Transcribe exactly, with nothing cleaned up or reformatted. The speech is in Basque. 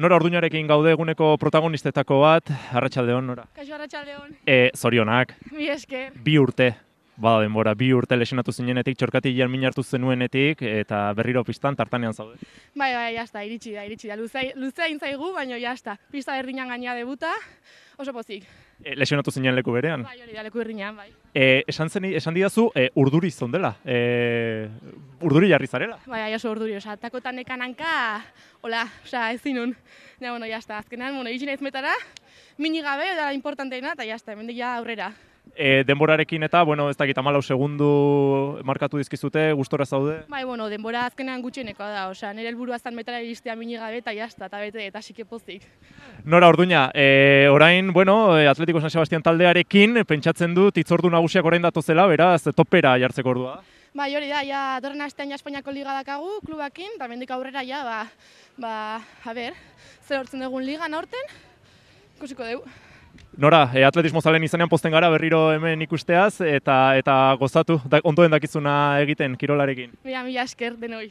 Nora Orduñarekin gaude eguneko protagonistetako bat, arratsaldeon Nora. Kaixo arratsaldeon. E, zorionak, Mi esker. bi urte, bada denbora, bi urte lesionatu zinenetik, txorkatilean min hartu zenuenetik, eta berriro pistan tartanean zaude. Bai, bai, jazta, iritsi da, iritsi da. Luzea, luzea intzaigu, baina jazta. Pista berdinan gaina debuta, oso pozik. E, lesionatu zinen leku berean. Bai, hori da, leku berdinan, bai. E, esan, zen, esan didazu, e, urduri zondela, e, urduri jarri zarela. Bai, bai, oso urduri, oza, takotan ekananka, hola, oza, ez zinun. Ja, bueno, jazta, azkenean, bueno, itxin ez metara, mini gabe, da importanteena, eta jazta, hemendik ja aurrera. E, denborarekin eta, bueno, ez dakit hamalau segundu markatu dizkizute, gustora zaude? Bai, bueno, denbora azkenean gutxienekoa da, osea, nire helburua zan metara iristea mini gabe eta jazta, eta bete, eta sike pozik. Nora Orduña, e, orain, bueno, Atletico San Sebastián taldearekin, pentsatzen dut, hitzordu nagusiak orain datozela, beraz, topera jartzeko ordua. Bai, hori da, ja, datorren astean ja Espainiako liga dakagu, klubakin, eta mendik aurrera ja, ba, ba, a ber, zer hortzen dugun ligan aurten, ikusiko dugu. Nora, e, atletismo zalen izanean pozten gara berriro hemen ikusteaz, eta eta gozatu, da, ondoen dakizuna egiten kirolarekin. Mila, mila esker denoi.